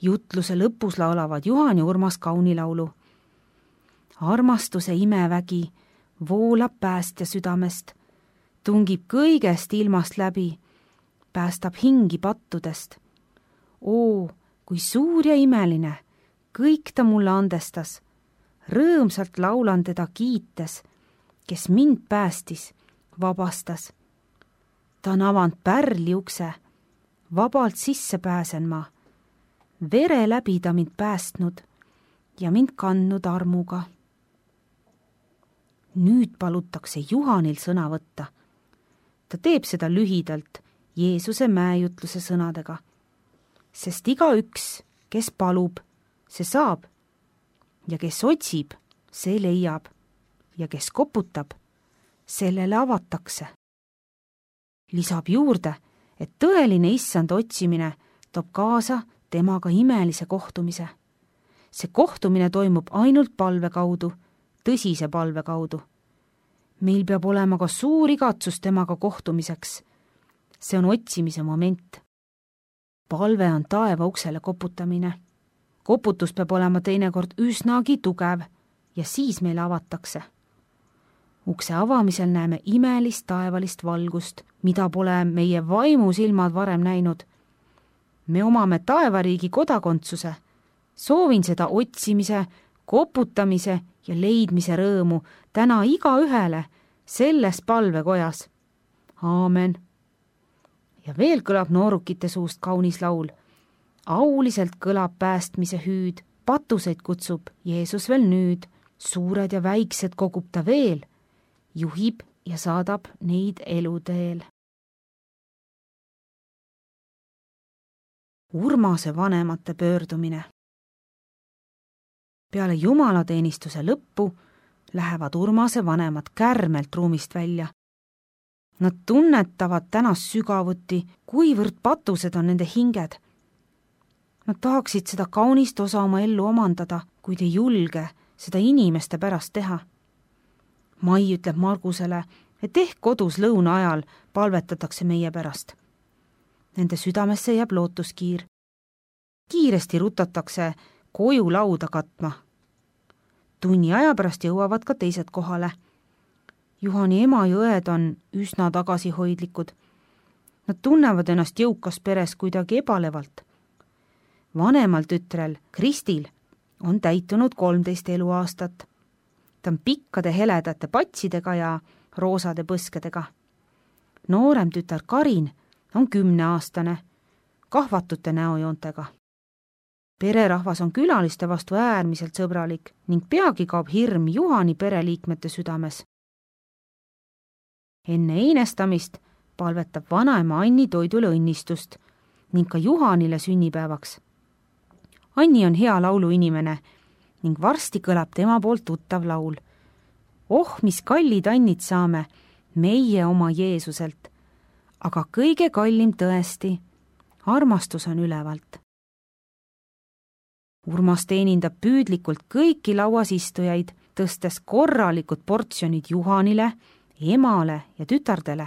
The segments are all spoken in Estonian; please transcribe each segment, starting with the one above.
Jutluse lõpus laulavad Juhan ja Urmas kaunilaulu. Armastuse imevägi voolab päästja südamest, tungib kõigest ilmast läbi, päästab hingi pattudest. Oo, kui suur ja imeline, kõik ta mulle andestas. Rõõmsalt laulan teda kiites, kes mind päästis, vabastas. Ta on avanud pärli ukse, vabalt sisse pääsen ma. Vere läbi ta mind päästnud ja mind kandnud armuga. Nüüd palutakse Juhanil sõna võtta. Ta teeb seda lühidalt Jeesuse mäejutluse sõnadega. Sest igaüks, kes palub, see saab. Ja kes otsib, see leiab. Ja kes koputab, sellele avatakse. Lisab juurde, et tõeline issand otsimine toob kaasa temaga imelise kohtumise. See kohtumine toimub ainult palve kaudu, tõsise palve kaudu. Meil peab olema ka suur igatsus temaga kohtumiseks. See on otsimise moment. Palve on taeva uksele koputamine. Koputus peab olema teinekord üsnagi tugev ja siis meile avatakse. Ukse avamisel näeme imelist taevalist valgust, mida pole meie vaimusilmad varem näinud. Me omame taevariigi kodakondsuse. Soovin seda otsimise, koputamise ja leidmise rõõmu täna igaühele selles palvekojas. Aamen. Ja veel kõlab noorukite suust kaunis laul. Auliselt kõlab päästmise hüüd, patuseid kutsub Jeesus veel nüüd, suured ja väiksed kogub ta veel, juhib ja saadab neid eluteel. Urmase vanemate pöördumine. Peale jumalateenistuse lõppu lähevad Urmase vanemad kärmelt ruumist välja. Nad tunnetavad tänast sügavuti, kuivõrd patused on nende hinged. Nad tahaksid seda kaunist osa oma ellu omandada, kuid ei julge seda inimeste pärast teha. Mai ütleb Margusele, et ehk kodus lõuna ajal palvetatakse meie pärast. Nende südamesse jääb lootuskiir. Kiiresti rutatakse koju lauda katma. Tunni aja pärast jõuavad ka teised kohale. Juhani ema ja õed on üsna tagasihoidlikud. Nad tunnevad ennast jõukas peres kuidagi ebalevalt. Vanemal tütrel, Kristil, on täitunud 13 eluaastat. Ta on pikkade heledate patsidega ja roosade põskedega. Noorem tütar Karin on 10-aastane, kahvatute näojoontega. Pererahvas on külaliste vastu äärmiselt sõbralik ning peagi kaob hirm Juhani pereliikmete südames. Enne einestamist palvetab vanaema Anni toidule õnnistust ning ka Juhanile sünnipäevaks. Anni on hea lauluinimene ning varsti kõlab tema poolt tuttav laul. Oh, mis kallid annid saame, meie oma Jeesuselt, aga kõige kallim tõesti, armastus on ülevalt. Urmas teenindab püüdlikult kõiki lauas istujaid, tõstes korralikud portsjonid Juhanile, emale ja tütardele.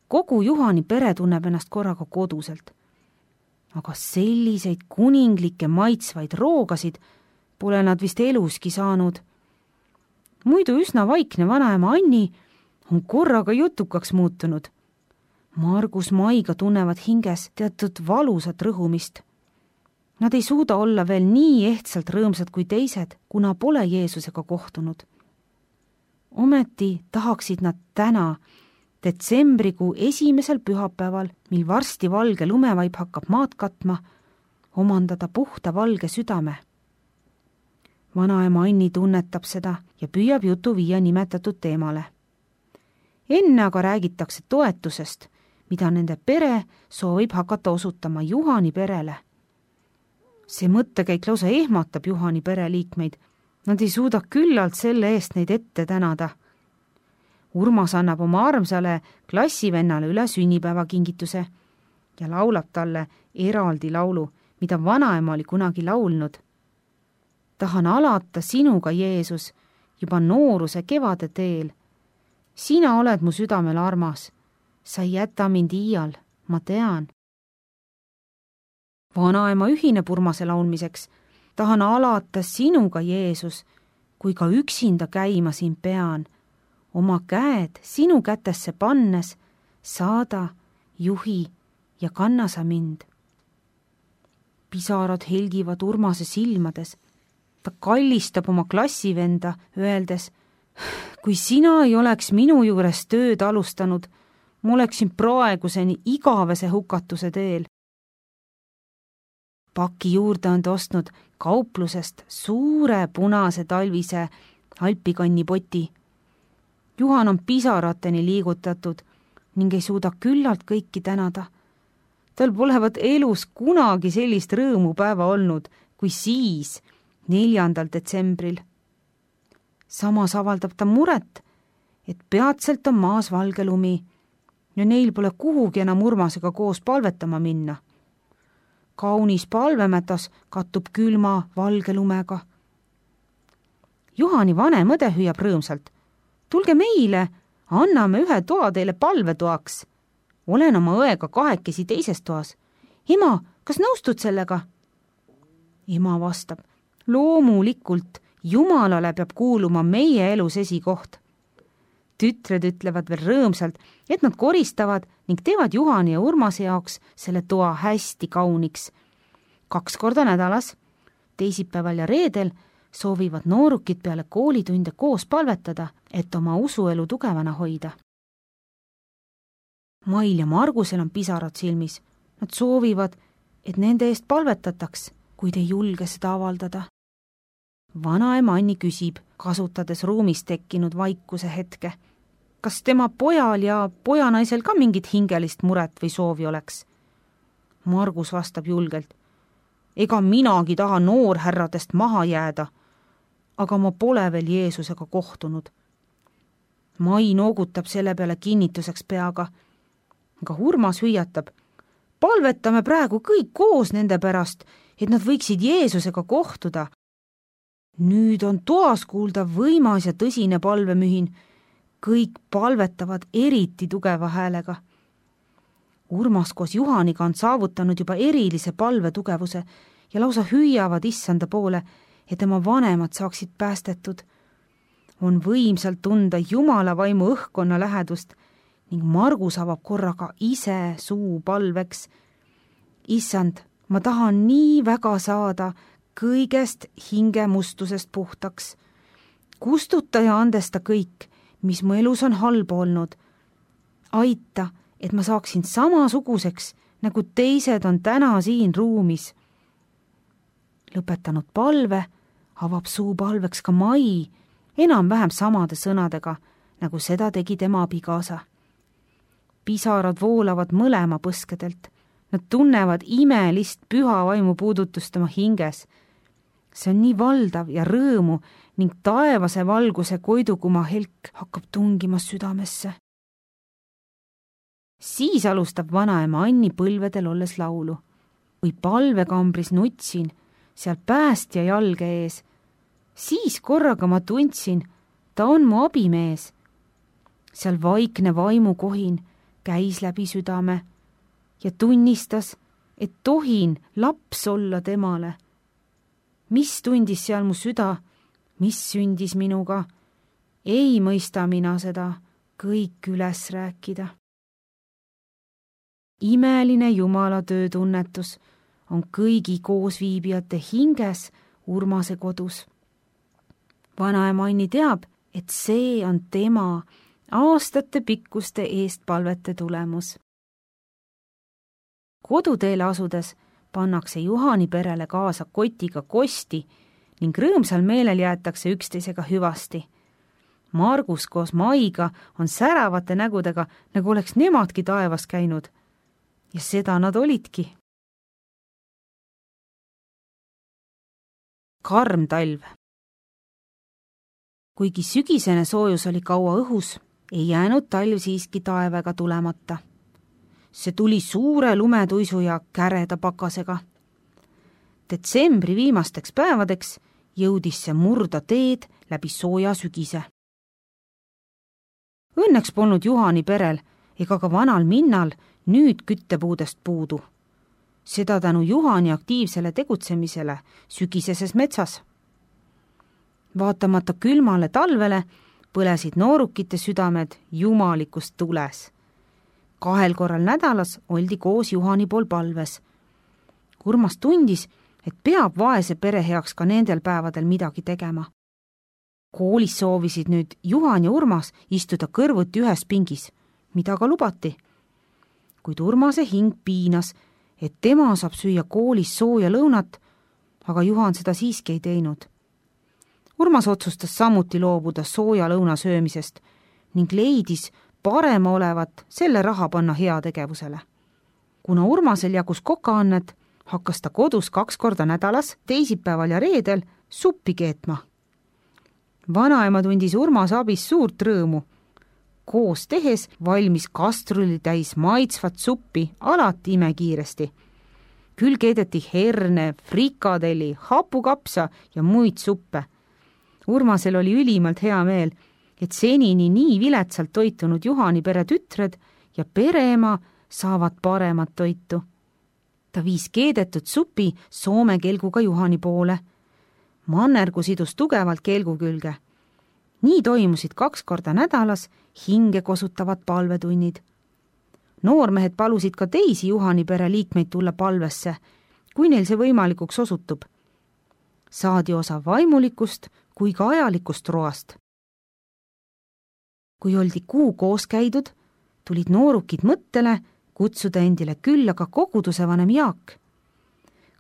Kogu Juhani pere tunneb ennast korraga koduselt. Aga selliseid kuninglikke maitsvaid roogasid pole nad vist eluski saanud. Muidu üsna vaikne vanaema Anni on korraga jutukaks muutunud. Margus Maiga tunnevad hinges teatud valusat rõhumist. Nad ei suuda olla veel nii ehtsalt rõõmsad kui teised, kuna pole Jeesusega kohtunud. Ometi tahaksid nad täna, detsembrikuu esimesel pühapäeval, mil varsti valge lumevaip hakkab maad katma, omandada puhta valge südame. Vanaema Anni tunnetab seda ja püüab jutu viia nimetatud teemale. Enne aga räägitakse toetusest, mida nende pere soovib hakata osutama Juhani perele. See mõttekäik lausa ehmatab Juhani pereliikmeid. Nad ei suuda küllalt selle eest neid ette tänada. Urmas annab oma armsale klassivennale üle sünnipäevakingituse ja laulab talle eraldi laulu, mida vanaema oli kunagi laulnud. Tahan alata sinuga, Jeesus, juba nooruse kevade teel. Sina oled mu südamel armas. Sa ei jäta mind iial, ma tean. Vanaema ühineb Urmase laulmiseks. Tahan alata sinuga, Jeesus, kui ka üksinda käima siin pean. Oma käed sinu kätesse pannes, saada, juhi ja kanna sa mind. Pisarad helgivad Urmase silmades. Ta kallistab oma klassivenda, öeldes, kui sina ei oleks minu juures tööd alustanud, ma oleksin praeguseni igavese hukatuse teel. Paki juurde on ta ostnud kauplusest suure punase talvise alpikannipoti. Juhan on pisarateni liigutatud ning ei suuda küllalt kõiki tänada. Tal polevat elus kunagi sellist rõõmupäeva olnud, kui siis, 4. detsembril. Samas avaldab ta muret, et peatselt on maas valge lumi ja neil pole kuhugi enam Urmasega koos palvetama minna. Kaunis palvemätas kattub külma valge lumega. Juhani vanem õde hüüab rõõmsalt. Tulge meile, anname ühe toa teile palvetoaks. Olen oma õega kahekesi teises toas. Ema, kas nõustud sellega? Ema vastab, loomulikult, Jumalale peab kuuluma meie elus esikoht. Tütred ütlevad veel rõõmsalt, et nad koristavad ning teevad Juhani ja Urmase jaoks selle toa hästi kauniks. 2 korda nädalas, teisipäeval ja reedel, soovivad noorukid peale koolitunde koos palvetada, et oma usuelu tugevana hoida. Mail ja Margusel on pisarad silmis. Nad soovivad, et nende eest palvetataks, kuid ei julge seda avaldada. Vanaema Anni küsib, kasutades ruumis tekkinud vaikuse hetke. Kas tema pojal ja pojanaisel ka mingit hingelist muret või soovi oleks? Margus vastab julgelt. Ega minagi taha noorhärradest maha jääda, aga ma pole veel Jeesusega kohtunud. Mai noogutab selle peale kinnituseks peaga. Aga Urmas hüüatab, palvetame praegu kõik koos nende pärast, et nad võiksid Jeesusega kohtuda. Nüüd on toas kuulda võimas ja tõsine palvemühin. Kõik palvetavad eriti tugeva häälega. Urmas koos Juhaniga on saavutanud juba erilise palvetugevuse ja lausa hüüavad issanda poole, et tema vanemad saaksid päästetud. On võimsalt tunda Jumala vaimu õhkkonna lähedust ning Margus avab korraga ise suu palveks. Issand, ma tahan nii väga saada kõigest hingemustusest puhtaks. Kustuta ja andesta kõik, mis mu elus on halba olnud. Aita, et ma saaksin samasuguseks, nagu teised on täna siin ruumis. Lõpetanud palve, avab suu palveks ka Mai, enam-vähem samade sõnadega, nagu seda tegi tema abikaasa. Pisarad voolavad mõlema põskedelt. Nad tunnevad imelist püha vaimu puudutust oma hinges. See on nii valdav ja rõõmu ning taevase valguse koidukuma helk hakkab tungima südamesse. Siis alustab vanaema Anni põlvedel olles laulu. Või palvekambris nutsin, seal päästja jalge ees. Siis korraga ma tundsin, ta on mu abimees. Seal vaikne vaimukohin käis läbi südame ja tunnistas, et tohin laps olla temale. Mis tundis seal mu süda, mis sündis minuga? Ei mõista mina seda kõik üles rääkida. Imeline Jumala töötunnetus on kõigi koosviibijate hinges Urmase kodus. Vanaema Anni teab, et see on tema aastate pikkuste eestpalvete tulemus. Koduteele asudes pannakse Juhani perele kaasa kotiga kosti ning rõõmsal meelel jäetakse üksteisega hüvasti. Margus koos Maiga on säravate nägudega, nagu oleks nemadki taevas käinud. Ja seda nad olidki. Karm talv. Kuigi sügisene soojus oli kaua õhus, ei jäänud talv siiski taevaga tulemata. See tuli suure lumetuisu ja käreda pakasega. Detsembri viimasteks päevadeks jõudis see murda teed läbi sooja sügise. Õnneks polnud Juhani perel ega ka vanal minnal nüüd küttepuudest puudu. seda tänu Juhani aktiivsele tegutsemisele sügiseses metsas. Vaatamata külmale talvele põlesid noorukite südamed jumalikus tules. 2 korral nädalas oldi koos Juhani pool palves. Urmas tundis, et peab vaese pere heaks ka nendel päevadel midagi tegema. Koolis soovisid nüüd Juhan ja Urmas istuda kõrvuti ühes pingis, mida ka lubati. Kuid Urmase hing piinas, et tema saab süüa koolis sooja lõunat, aga Juhan seda siiski ei teinud. Urmas otsustas samuti loobuda sooja lõuna söömisest ning leidis parem olevat selle raha panna heategevusele. Kuna Urmasel jagus kokaannet, hakkas ta kodus 2 korda nädalas, teisipäeval ja reedel suppi keetma. Vanaema tundis Urmase abis suurt rõõmu. Koos tehes valmis kastruli täis maitsvat suppi alati imekiiresti. Küll keedeti herne, frikadeli, hapukapsa ja muid suppe. Urmasel oli ülimalt hea meel, et senini nii viletsalt toitunud Juhani pere tütred ja pereema saavad paremat toitu. Ta viis keedetud supi soome kelguga Juhani poole. Mannergu sidus tugevalt kelgu külge. Nii toimusid 2 korda nädalas hinge kosutavad palvetunnid. Noormehed palusid ka teisi Juhani pere liikmeid tulla palvesse, kui neil see võimalikuks osutub. Saadi osa vaimulikust kui ka ajalikust roast. Kui oldi kuu koos käidud, tulid noorukid mõttele kutsuda endile külla ka koguduse vanem Jaak.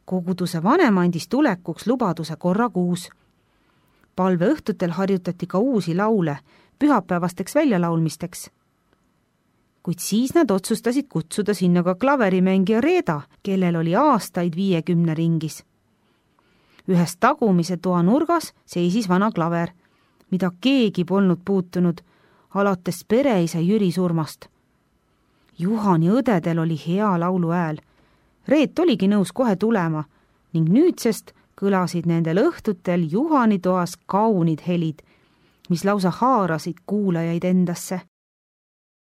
Koguduse vanem andis tulekuks lubaduse korra kuus. Palve õhtutel harjutati ka uusi laule pühapäevasteks väljalaulmisteks. Kuid siis nad otsustasid kutsuda sinna ka klaverimängija Reeda, kellel oli aastaid 50 ringis. Ühes tagumise toa nurgas seisis vana klaver, mida keegi polnud puutunud, alates pereisa Jüri surmast. Juhani õdedel oli hea laulu hääl. Reet oligi nõus kohe tulema ning nüüdsest kõlasid nendel õhtutel Juhani toas kaunid helid, mis lausa haarasid kuulajaid endasse.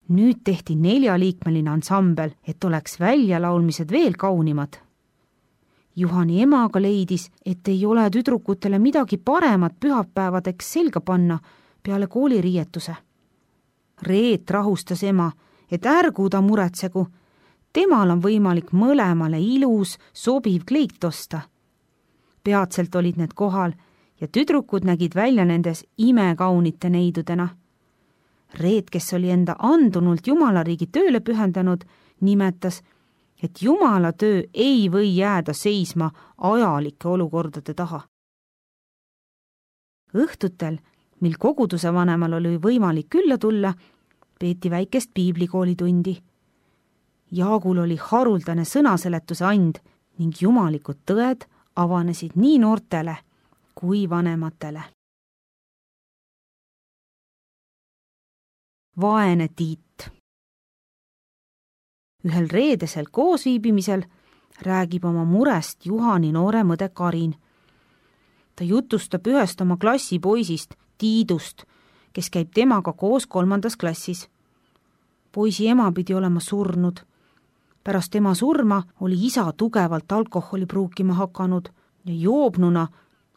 Nüüd tehti 4-liikmeline ansambel, et oleks väljalaulmised veel kaunimad. Juhani ema aga leidis, et ei ole tüdrukutele midagi paremat pühapäevadeks selga panna peale kooliriietuse. Reet rahustas ema, et ärgu ta muretsegu, temal on võimalik mõlemale ilus, sobiv kleit osta. Peatselt olid need kohal ja tüdrukud nägid välja nendes imekaunite neidudena. Reet, kes oli enda andunult Jumalariigi tööle pühendanud, nimetas, et Jumala töö ei või jääda seisma ajalike olukordade taha. Õhtutel, mil koguduse vanemal oli võimalik külla tulla, peeti väikest piiblikoolitundi. Jaagul oli haruldane sõnaseletuse and ning jumalikud tõed avanesid nii noortele kui vanematele. Vaene Tiit. Ühel reedesel koosviibimisel räägib oma murest Juhani noore mõde Karin. Ta jutustab ühest oma klassipoisist, Tiidust, kes käib temaga koos 3. klassis. Poisi ema pidi olema surnud. Pärast tema surma oli isa tugevalt alkoholi pruukima hakanud ja joobnuna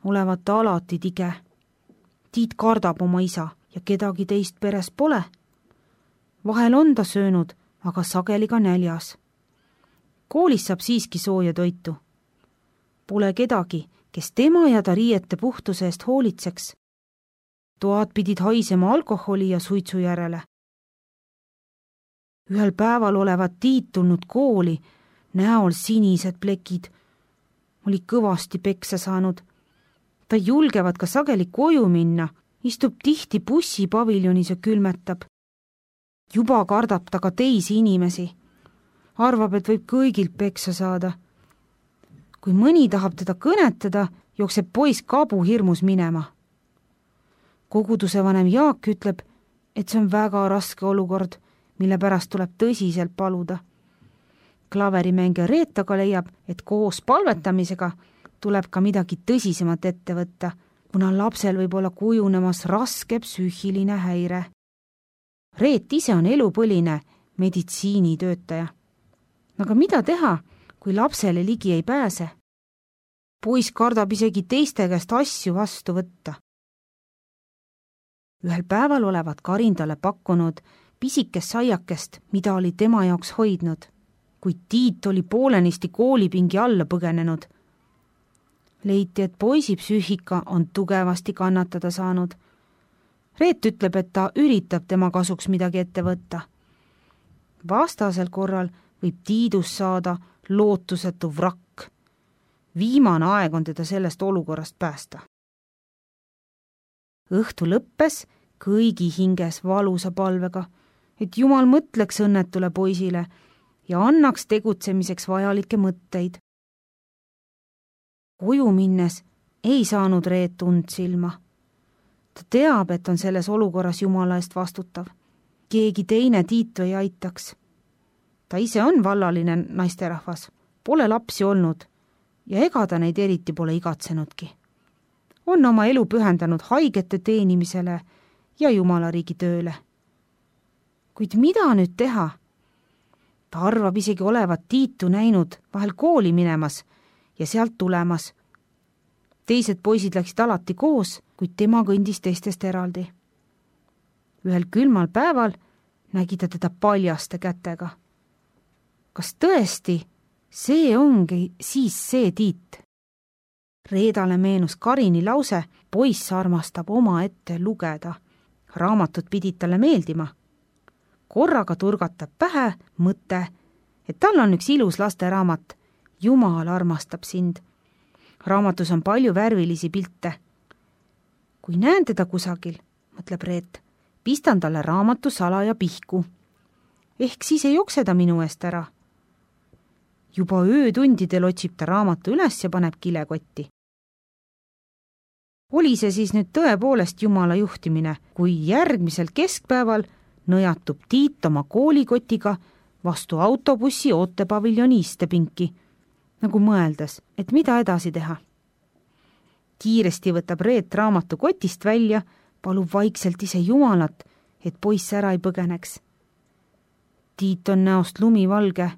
olevat ta alati tige. Tiit kardab oma isa ja kedagi teist peres pole. Vahel on ta söönud, aga sageli ka näljas. Koolis saab siiski sooja toitu. Pole kedagi, kes tema ja ta riiete puhtuse eest hoolitseks. Toad pidid haisema alkoholi ja suitsu järele. Ühel päeval olevat Tiit tulnud kooli, näol sinised plekid. Oli kõvasti peksa saanud. Ta julgevad ka sageli koju minna, istub tihti bussipaviljonis ja külmetab. Juba kardab ta ka teisi inimesi. Arvab, et võib kõigilt peksa saada. Kui mõni tahab teda kõnetada, jookseb poiss kabu hirmus minema. Koguduse vanem Jaak ütleb, et see on väga raske olukord, mille pärast tuleb tõsiselt paluda. Klaverimängija Reet aga leiab, et koos palvetamisega tuleb ka midagi tõsisemat ette võtta, kuna lapsel võib olla kujunemas raske psüühiline häire. Reet ise on elupõline meditsiinitöötaja. Aga mida teha, kui lapsele ligi ei pääse. Poiss kardab isegi teiste käest asju vastu võtta. Ühel päeval olevat Karin talle pakkunud pisikest saiakest, mida oli tema jaoks hoidnud, kuid Tiit oli poolenisti koolipingi alla põgenenud. Leiti, et poisi psüühika on tugevasti kannatada saanud. Reet ütleb, et ta üritab tema kasuks midagi ette võtta. Vastasel korral võib Tiidust saada lootusetu vrakk. Viimane aeg on teda sellest olukorrast päästa. Õhtu lõppes kõigi hinges valusa palvega, et Jumal mõtleks õnnetule poisile ja annaks tegutsemiseks vajalikke mõtteid. Koju minnes ei saanud Reet und silma. Ta teab, et on selles olukorras Jumala eest vastutav. Keegi teine Tiitu ei aitaks. Ta ise on vallaline naisterahvas, pole lapsi olnud ja ega ta neid eriti pole igatsenudki. On oma elu pühendanud haigete teenimisele ja Jumala riigi tööle. Kuid mida nüüd teha? Ta arvab isegi olevat Tiitu näinud vahel kooli minemas ja sealt tulemas. Teised poisid läksid alati koos, kuid tema kõndis teistest eraldi. Ühel külmal päeval nägi ta teda paljaste kätega. Kas tõesti see ongi siis see Tiit? Reedale meenus Karini lause, poiss armastab oma ette lugeda. Raamatud pidid talle meeldima. Korraga turgatab pähe mõte, et tal on üks ilus lasteraamat. Jumal armastab sind. Raamatus on palju värvilisi pilte. Kui näen teda kusagil, mõtleb Reet, pistan talle raamatu salaja pihku. Ehk siis ei jokse ta minu eest ära. Juba öötundidel otsib ta raamatu üles ja paneb kilekotti. Oli see siis nüüd tõepoolest Jumala juhtimine, kui järgmisel keskpäeval nõjatub Tiit oma koolikotiga vastu autobussi ootepaviljoni istepinki, nagu mõeldes, et mida edasi teha. Kiiresti võtab Reet raamatu kotist välja, palub vaikselt ise Jumalat, et poiss ära ei põgeneks. Tiit on näost lumivalge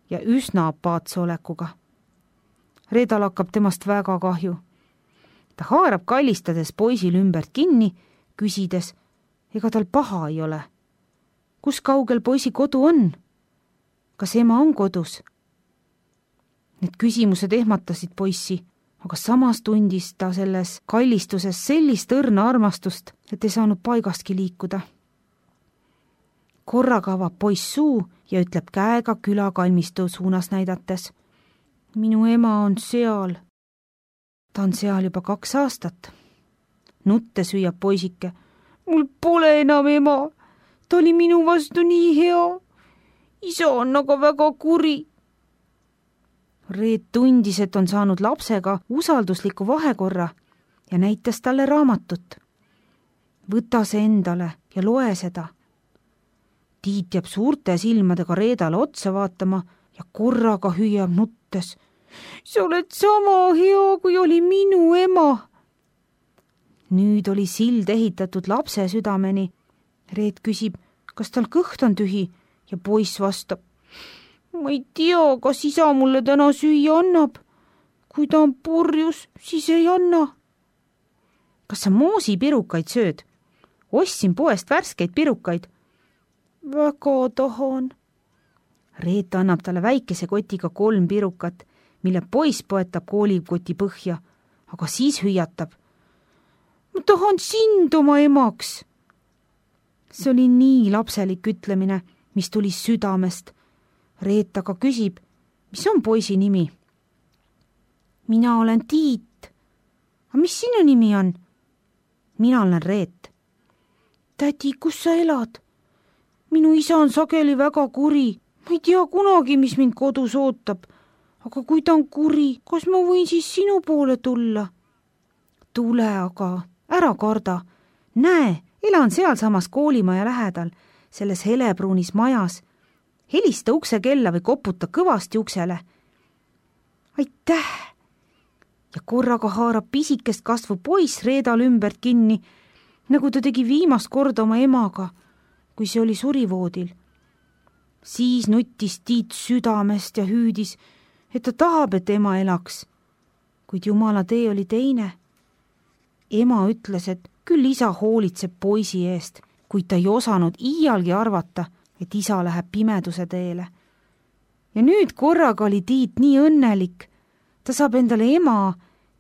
ja üsna apaatse olekuga. Reedal hakkab temast väga kahju. Ta haarab kallistades poisil ümbert kinni, küsides, ega tal paha ei ole. Kus kaugel poisi kodu on? Kas ema on kodus? Need küsimused ehmatasid poissi, aga samas tundis ta selles kallistuses sellist õrna armastust, et ei saanud paigastki liikuda. Korraga avab poiss suu ja ütleb käega küla kalmistu suunas näidates. Minu ema on seal. Ta on seal juba 2 aastat. Nutte süüab poisike. Mul pole enam ema. Ta oli minu vastu nii hea. Isa on aga väga kuri. Reet tundis, et on saanud lapsega usaldusliku vahekorra ja näitas talle raamatut. Võta see endale ja loe seda. Tiit jääb suurte silmadega Reedale otsa vaatama ja korraga hüüab nuttes. Sa oled sama hea, kui oli minu ema. Nüüd oli sild ehitatud lapse südameni. Reet küsib, kas tal kõht on tühi ja poiss vastab. Ma ei tea, kas isa mulle täna süüa annab. Kui ta on purjus, siis ei anna. Kas sa moosipirukaid sööd? Ostsin poest värskeid pirukaid. Väga tahan. Reet annab talle väikese kotiga 3 pirukat, mille poiss poetab koolikoti põhja, aga siis hüüatab. Ma tahan sind oma emaks. See oli nii lapselik ütlemine, mis tuli südamest. Reet aga küsib, mis on poisi nimi? Mina olen Tiit. Aga mis sinu nimi on? Mina olen Reet. Tädi, kus sa elad? Minu isa on sageli väga kuri. Ma ei tea kunagi, mis mind kodus ootab. Aga kui ta on kuri, kas ma võin siis sinu poole tulla? Tule aga, ära karda. Näe, elan sealsamas koolimaja lähedal, selles helepruunis majas. Helista ukse kella või koputa kõvasti uksele. Aitäh! Ja korraga haarab pisikest kasvu poiss Reedal ümbert kinni, nagu ta tegi viimast korda oma emaga, kui see oli surivoodil. Siis nuttis Tiit südamest ja hüüdis, et ta tahab, et ema elaks. Kuid Jumala tee oli teine. Ema ütles, et küll isa hoolitseb poisi eest, kuid ta ei osanud iialgi arvata, et isa läheb pimeduse teele. Ja nüüd korraga oli Tiit nii õnnelik. Ta saab endale ema,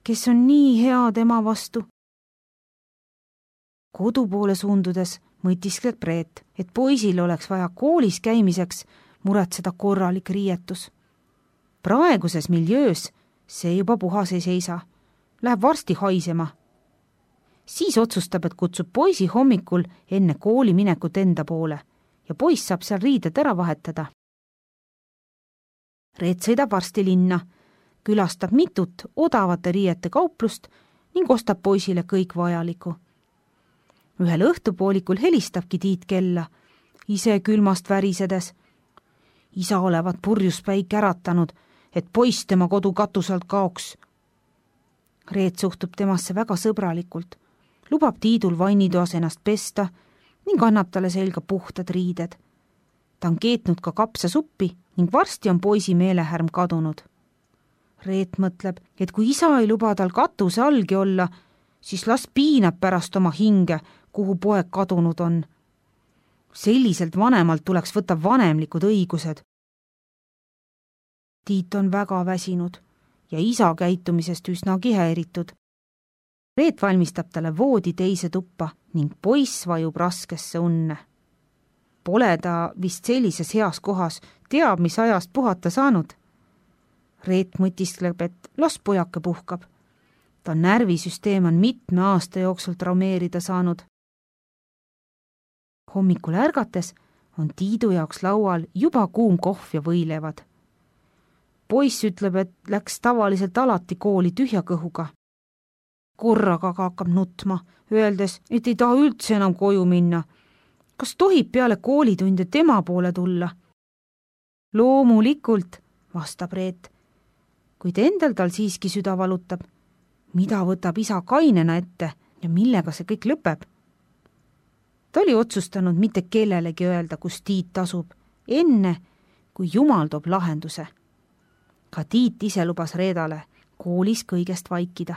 kes on nii hea tema vastu. Kodu poole suundudes mõtiskleb Reet, et poisil oleks vaja koolis käimiseks muretseda korralik riietus. Praeguses miljöös see juba puhas ei seisa. Läheb varsti haisema. Siis otsustab, et kutsub poisi hommikul enne kooli minekut enda poole ja poiss saab seal riided ära vahetada. Reet sõidab varsti linna, külastab mitut odavate riiete kauplust ning ostab poisile kõik vajaliku. Ühel õhtupoolikul helistabki Tiit kella, ise külmast värisedes. Isa olevat purjuspäik äratanud, et poiss tema kodu katusalt kaoks. Reet suhtub temasse väga sõbralikult, lubab Tiidul vannitoas ennast pesta ning annab talle selga puhtad riided. Ta on keetnud ka kapsasuppi ning varsti on poisi meelehärm kadunud. Reet mõtleb, et kui isa ei luba tal katuse allgi olla, siis las piinab pärast oma hinge, kuhu poeg kadunud on. Selliselt vanemalt tuleks võtta vanemlikud õigused. Tiit on väga väsinud ja isa käitumisest üsnagi häiritud. Reet valmistab talle voodi teise tuppa ning poiss vajub raskesse unne. Pole ta vist sellises heas kohas, teab, mis ajast puhata saanud. Reet mõtiskleb, et las pojake puhkab. Ta närvisüsteem on mitme aasta jooksul traumeerida saanud. Hommikul ärgates on Tiidu jaoks laual juba kuum kohv ja võilevad. Poiss ütleb, et läks tavaliselt alati kooli tühja kõhuga. Korraga hakkab nutma, öeldes, et ei taha üldse enam koju minna. Kas tohib peale koolitunde tema poole tulla? Loomulikult, vastab Reet, kuid endal tal siiski süda valutab. Mida võtab isa kainena ette ja millega see kõik lõpeb? Ta oli otsustanud mitte kellelegi öelda, kus Tiit asub, enne kui Jumal toob lahenduse. Ka Tiit ise lubas Reedale koolis kõigest vaikida.